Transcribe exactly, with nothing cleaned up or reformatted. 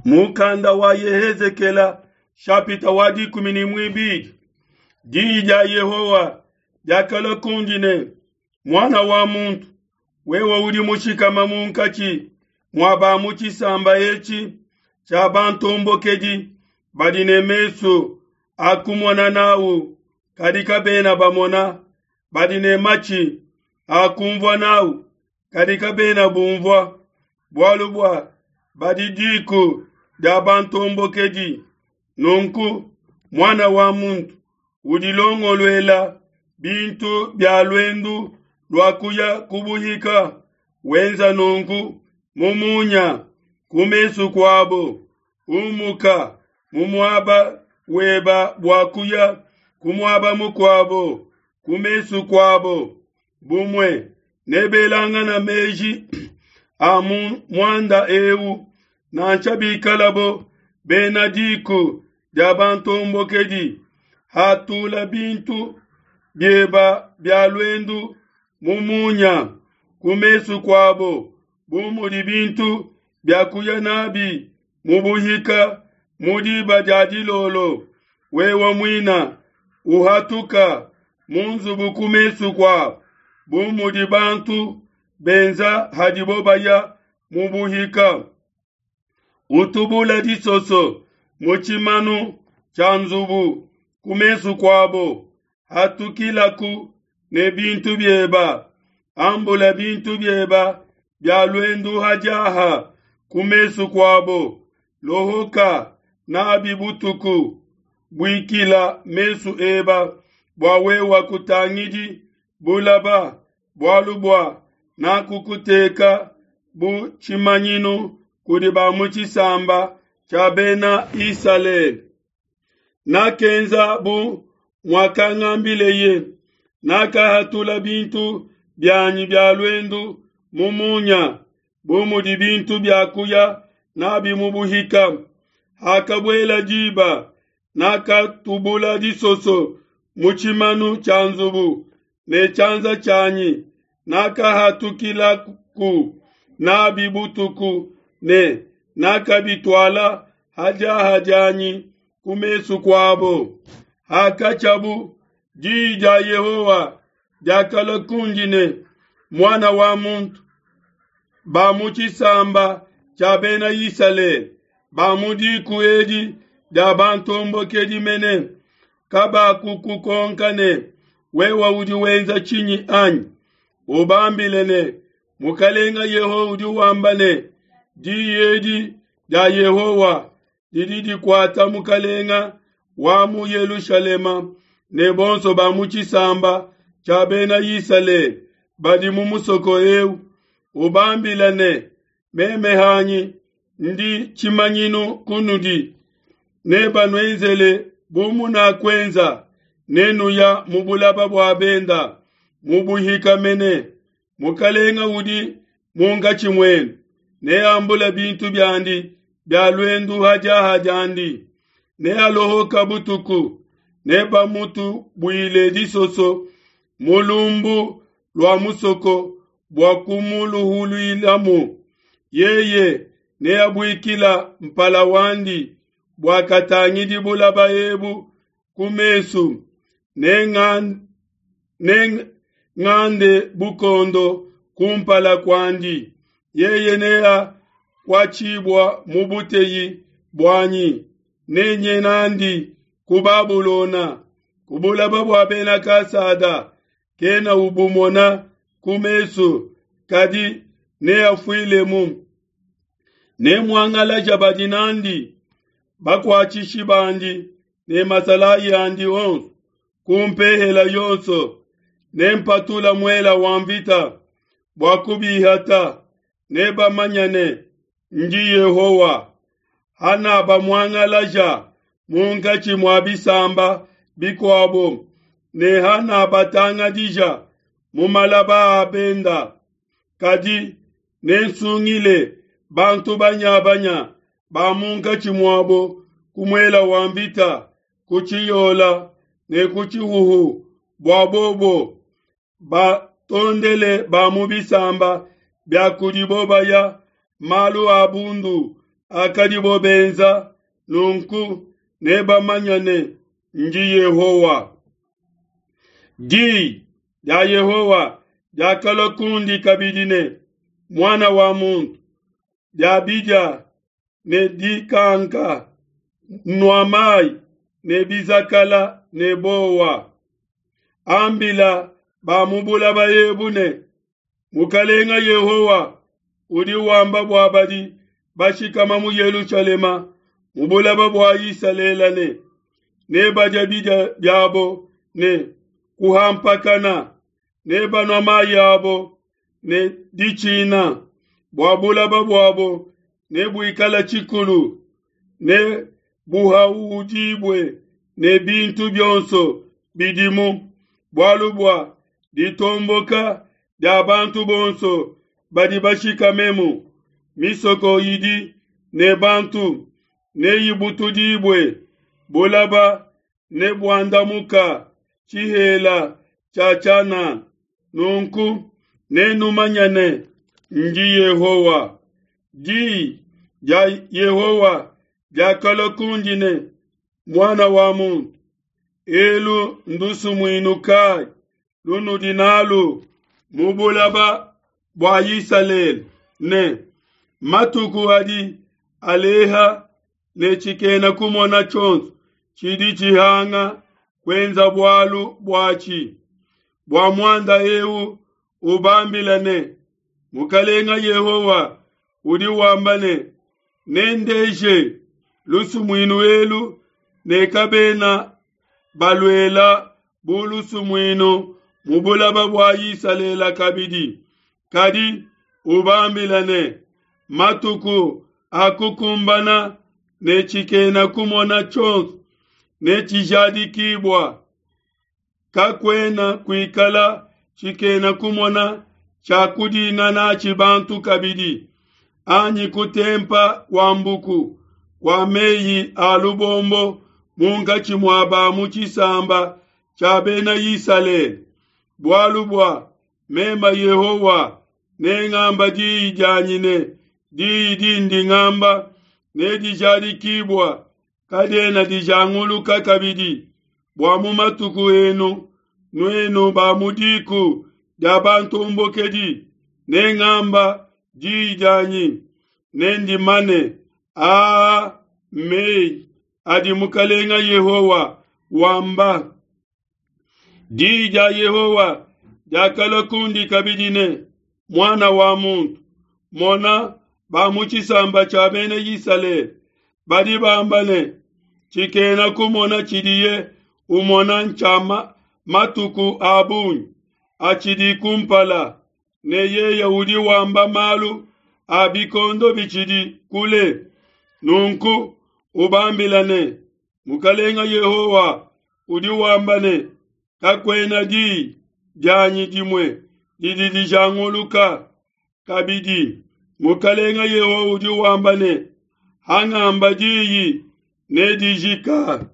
Mukanda wa Yehezekela shapita wa dikumi ne muibidi. Diyi dia Yehowa diakalua kundi ne, Muana wa muntu, wewe udi mushikama munkatshi mua ba mu tshisamba etshi tshia bantombokedi badi ne mesu a kumona nawu kadi kabena bamona, badi ne matshi a kumvua nawu kadi kabena bumvua, bualu bua badi diku dia bantombokedi. Nunku, muana wa muntu, udilongoluela bintu bia luendu lua kuya ku buhika, wenza nunku mu munya ku mesu kuabo, umuka mu muaba weba bua kuya ku muaba mukuabo ku mesu kuabo. Bumue nebelangana meji a mu muanda eu, nansha bikalabo bena diku dia bantombokedi. Hatula bintu bieba bia luendu mu munya ku mesu kuabo, bu mudi bintu bia kuya nabi mu buhika mu diba dia dilolo. Wewe muina uhatuka mu nzubu ku mesu kuabo, bu mudi bantu benza hadibo baya mu buhika. Utubula disoso mu tshimanu tshia nzubu ku mesu kuabo, hatukilaku ne bintu bieba. Ambula bintu bieba bia luendu hadiaha ku mesu kuabo, lohoka nabi butuku. Buikila mesu eba bua wewe kutangidi bulaba, bualu bua nakukuteka bu tshimanyinu kudi ba mu tshisamba tshia bena Isalele. Nakenza bu muakangambileye, nakahatula bintu bianyi bia luendu mu munya, bu mudi bintu bia kuya nabi mu buhika. Hakabuela diba, nakatubula disoso mu tshimanu tshia nzubu ne tshianza tshianyi, nakahatukilaku nabi butuku ne nakabituala hadiaha dianyi ku mesu kuabo. Hakatshiabu, diyi dia Yehowa diakalua kundi ne, Muana wa muntu, ba mu tshisamba tshia bena Isalele, ba mu diku edi dia bantombokedi mene, kabakukukonka ne, wewe udi wenza tshinyi anyi? Ubambile ne, Mukalenga Yehowa udi wamba ne, diyi edi dia Yehowa didi dikuata mukalenga wa mu Yelushalema ne bonso ba mu tshisamba tshia bena Isalele badi mu musoko eu. Ubambile ne, meme hanyi ndi tshimanyinu kunudi, nebanuenzele bu munakuenza, nenuya mu bulaba bua benda mu buhika mene. Mukalenga udi munkatshi muenu neambula bintu biandi bia luendu hadiaha diandi, nealohoka butuku, nebamutubuile disoso mu lumbu lua musoko bua kumuluhuluilamu. Yeye neabuikila mpala wandi bua katangidi bulaba ebu ku mesu, nengande bukondo kumpala kuandi. Yeye neakuatshibua mu buteyi buanyi, nenye nandi ku Babulona, ku bulaba bua bena Kasada. Kena ubumona ku mesu, kadi neafuilemu. Nemuangalaja badi nandi, bakuatshishi bandi ne masalayi andi onso ku mpehela yonso. Nempatula muela wa mvita bua kubihata, nebamanya ne ndi Yehowa. Hanabamuangalaja munkatshi mua bisamba bikuabo, ne hanabatangadija mu malaba a benda. Kadi nensungile bantu banyabanya ba munkatshi muabo ku muela wa mvita, ku tshiyola ne ku tshihuhu, bua bobo batondele ba mu bisamba bia kudibo baya malu a bundu akadibo benza, nunku nebamanye ne, ndi Yehowa. Diyi dia Yehowa diakalua kundi kabidi ne, Muana wa muntu, dia bidia ne dikanka, nua mayi ne bizakala ne bowa. Ambila ba mu bulaba ebu ne, Mukalenga Yehowa udi wamba bua badi bashikama mu Yelushalema mu bulaba bua Isalele ne, nebadia bidia biabo ne kuhampakana, nebanua mayi abo ne ditshina, bua bulaba buabo nebuikala tshikulu, ne buhaudibue ne bintu bionso bidimu, bualu bua ditomboka dia bantu bonso badi bashikamemu. Misoko idi ne bantu neyibutudibue, bulaba nebuandamuka tshihela tshia tshianana. Nunku nenumanye ne, ndi Yehowa. Diyi dia Yehowa diakalua kundi ne, Muana wa muntu, elu ndusumuinu kayi lunudi nalu mu bulaba bua Isalele ne, matuku adi aleha ne tshikena kumona tshionso tshidi tshihanga kuenza bualu buatshi. Bua muanda eu ubambila ne, Mukalenga Yehowa udi wamba ne, nendeje lusumuinu elu ne kabena baluela bu lusumuinu mu bulaba bua Isalele kabidi. Kadi ubambila ne, matuku akukumbana ne tshikena kumona tshionso netshijadikibua. Kakuena kuikala tshikena kumona tshia kudinga natshi bantu kabidi, anyi kutempa kua mbuku kua meyi a lubombo munkatshi mua ba mu tshisamba tshia bena Isalele. Bualu bua meme Yehowa nengamba diyi dianyi ne diyi dindi ngamba nedijadikibua, kadiena dijanguluka kabidi. Bua mu matuku enu nuenu ba mu diku dia bantombokedi, nengamba diyi dianyi nendimane. Aa mmeyi adi Mukalenga Yehowa wamba. Diyi dia Yehowa diakalua kundi kabidi ne, Muana wa muntu, mona ba mu tshisamba tshia bena Isalele badi bamba ne, tshikena kumona tshidiye umona ntshia matuku a bungi atshidi kumpala, ne yeye udi wamba malu a bikondo bitshidi kule. Nunku ubambila ne, Mukalenga Yehowa udi wamba ne, kakuena diyi dianyi dimue didi dijanguluka kabidi. Mukalenga Yehowa udi wamba ne, hangamba diyi nedijika.